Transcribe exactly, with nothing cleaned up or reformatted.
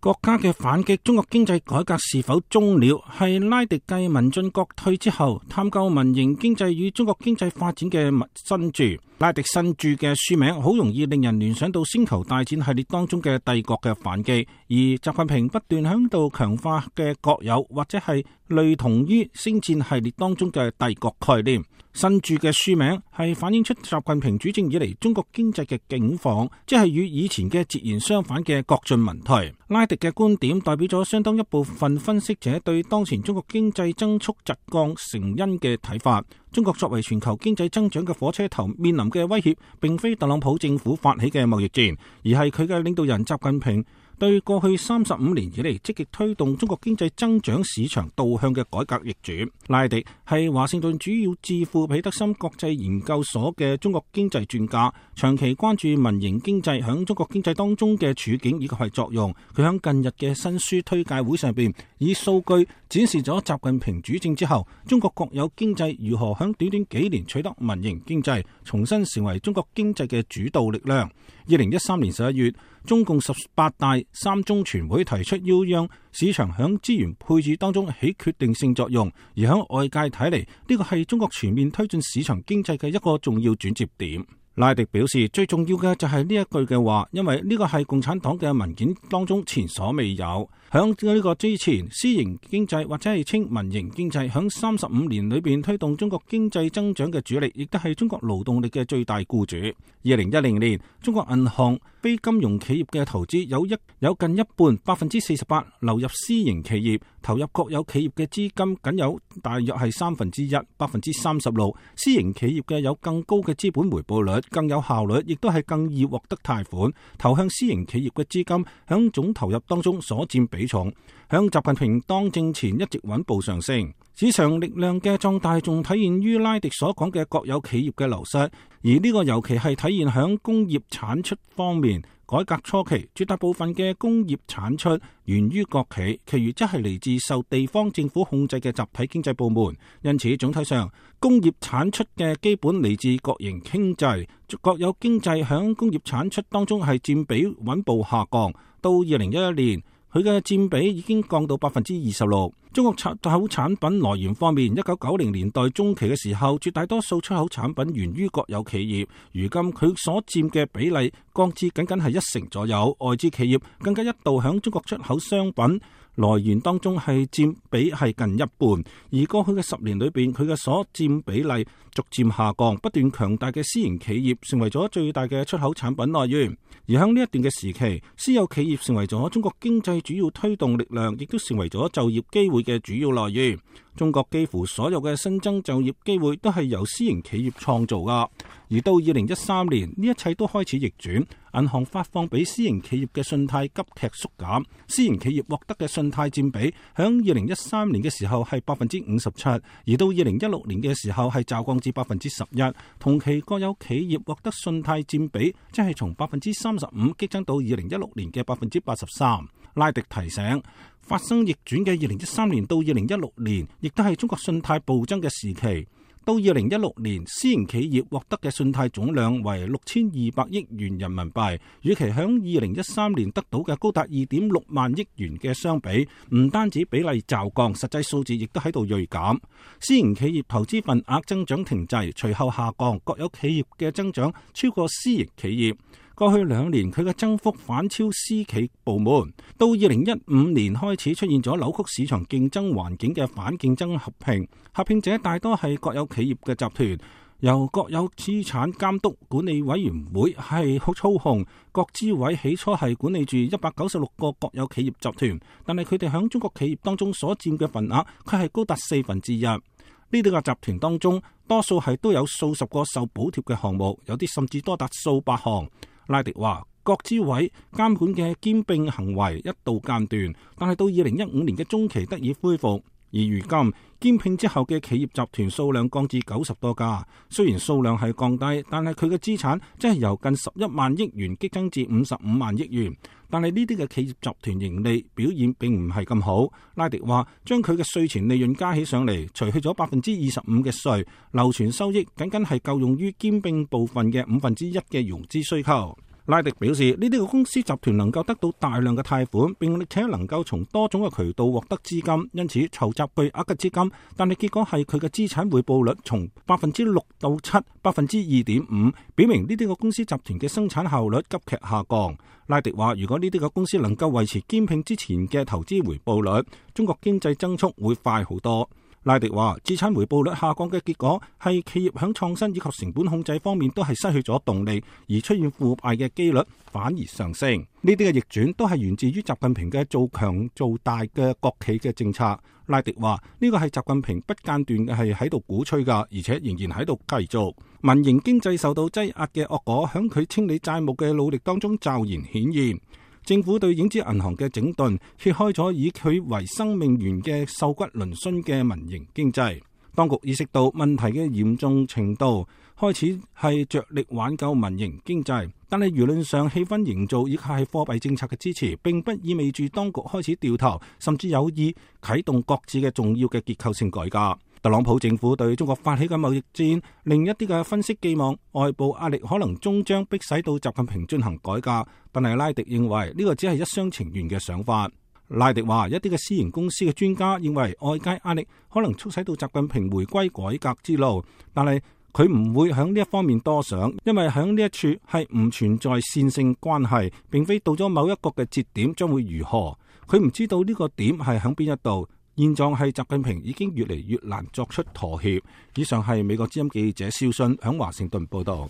國家嘅反擊，中國經濟改革是否終了？係拉迪繼民進國退之後，探究民營經濟與中國經濟發展嘅新著。拉迪新著嘅書名好容易令人聯想到星球大戰系列當中嘅帝國嘅反擊，而習近平不斷響度強化嘅國有或者係類同於星戰系列當中嘅帝國概念。新著嘅書名係反映出習近平主政以嚟中國經濟嘅境況，即係與以前嘅截然相反嘅國進民退。拉迪嘅觀點代表咗相當一部分分析者對當前中國經濟增速疾降成因嘅睇法。中國作為全球經濟增長嘅火車頭，面臨嘅威脅並非特朗普政府發起嘅貿易戰，而係佢嘅領導人習近平對過去三十五年以嚟積極推動中國經濟增長市場導向嘅改革易主。拉迪係華盛頓主要智庫彼得森國際研究所嘅中國經濟專家，長期關注民營經濟響中國經濟當中嘅處境以及係作用。佢響近日嘅新書推介會上邊，以數據展示咗習近平主政之後，中國國有經濟如何響短短幾年取得民營經濟，重新成為中國經濟嘅主導力量。二零一三年十一月，中共十八大三中全會提出要讓市場響資源配置當中起決定性作用，而響外界睇嚟，呢個係中國全面推進市場經濟嘅一個重要轉折點。拉迪表示，最重要嘅就係呢一句嘅話，因為呢個係共產黨嘅文件當中前所未有。響呢個之前，私營經濟或者係稱民營經濟，響三十五年裏邊推動中國經濟增長嘅主力，亦都係中國勞動力嘅最大僱主。二零一零年，中國銀行非金融企業嘅投資有一有近一半百分之四十八流入私營企業，投入國有企業嘅資金僅有大約係三分之一百分之三十六。私營企業嘅有更高嘅資本回報率，更有效率，亦都係更易獲得貸款。投向私營企業嘅資金響總投入當中所佔比重，響習近平當政前一直穩步上升。市場力量嘅壯大仲體現於拉迪所講嘅國有企業嘅流失，而呢個尤其係體現響工業產出方面。改革初期，絕大部分嘅工業產出源於國企，其餘則係嚟自受地方政府控制嘅集體經濟部門。因此，總體上，工業產出嘅基本嚟自國營經濟，國有經濟響工業產出當中係佔比穩步下降。到二零一一年，佢嘅佔比已經降到百分之二十六。中國出口產品來源方面，一九九零年代中期嘅時候，絕大多數出口產品源於國有企業。如今佢所佔嘅比例降至僅僅係一成左右，外資企業更加一度響中國出口商品來源當中係佔比係近一半。而過去嘅十年裏邊，佢嘅所佔比例逐漸下降，不斷強大嘅私營企業成為咗最大嘅出口產品來源。而喺呢一段嘅時期，私有企業成為咗中國經濟主要推動力量，亦都成為咗就業機會嘅主要來源。中國幾乎所有嘅新增就業機會都係由私營企業創造噶。而到二零一三年，呢一切都開始逆轉，銀行發放俾私營企業嘅信貸急劇縮減，私營企業獲得嘅信貸佔比響二零一三年嘅時候係百分之五十七，而到二零一六年嘅時候係驟降至百分之十一。同期國有企業獲得信貸佔比即係從百分之三十五激增到二零一六年嘅百分之八十三。拉迪提醒，發生逆轉嘅二零一三年到二零一六年，亦都係中國信貸暴增嘅時期。到二零一六年，私營企業獲得嘅信貸總量為六千二百億元人民幣，與其響二零一三年得到嘅高達二點六萬億元嘅相比，唔單止比例驟降，實際數字亦都喺度銳減。私營企業投資份額增長停滯，隨後下降，國有企業嘅增長超過私營企業。過去兩年佢嘅增幅反超私企部門，到二零一五年開始出現咗扭曲市場競爭環境嘅反競爭合併，合併者大多係國有企業嘅集團，由國有資產監督管理委員會係操控。國資委起初係管理住一百九十六個國有企業集團，但係佢哋響中國企業當中所佔嘅份額，佢係高達四分之一。呢啲個集團當中，多數係都有數十個受補貼嘅項目，有啲甚至多達數百項。拉迪話，國資委監管嘅兼併行為一度間斷，但係到二零一五年嘅中期得以恢復。而如今兼併之後嘅企業集團數量降至九十多家，雖然數量係降低，但係佢嘅資產即係由近十一萬億元激增至五十五萬億元。但係呢啲嘅企業集團盈利表現並唔係咁好。拉迪話，將佢嘅稅前利潤加起上嚟，除去咗百分之二十五嘅稅，流存收益僅僅係夠用於兼併部分嘅五分之一嘅融資需求。拉迪表示，呢啲個公司集團能夠得到大量嘅貸款，並且能夠從多種嘅渠道獲得資金，因此籌集巨額嘅資金。但係結果係佢嘅資產回報率從百分之六到七，百分之二點五，表明呢啲個公司集團嘅生產效率急劇下降。拉迪話，如果呢啲個公司能夠維持兼併之前嘅投資回報率，中國經濟增速會快好多。拉迪話，資產回報率下降嘅結果係企業響創新以及成本控制方面都係失去咗動力，而出現腐敗嘅機率反而上升。呢啲嘅逆轉都係源自於習近平嘅做強做大嘅國企嘅政策。拉迪話，呢個係習近平不間斷嘅係喺度鼓吹㗎，而且仍然喺度繼續。民營經濟受到擠壓嘅惡果響佢清理債務嘅努力當中驟然顯現。政府對影子銀行嘅整頓，揭開咗以佢為生命源嘅瘦骨嶙峋嘅民營經濟。當局意識到問題嘅嚴重程度，開始係着力挽救民營經濟。但係輿論上氣氛營造以及係貨幣政策嘅支持，並不意味住當局開始掉頭，甚至有意啟動各自嘅重要嘅結構性改革。特朗普政府對中國發起嘅貿易戰，另一啲嘅分析寄望外部壓力可能終將迫使到習近平進行改革，但係拉迪認為呢個只係一廂情願嘅想法。拉迪話，一啲嘅私營公司嘅專家認為外界壓力可能促使到習近平回歸改革之路，但係佢唔會響呢一方面多想，因為響呢一處係唔存在線性關係，並非到咗某一個嘅節點將會如何，佢唔知道呢個點係響邊一度。現狀係習近平已經越嚟越難作出妥協。以上係美國之音記者肖信響華盛頓報道。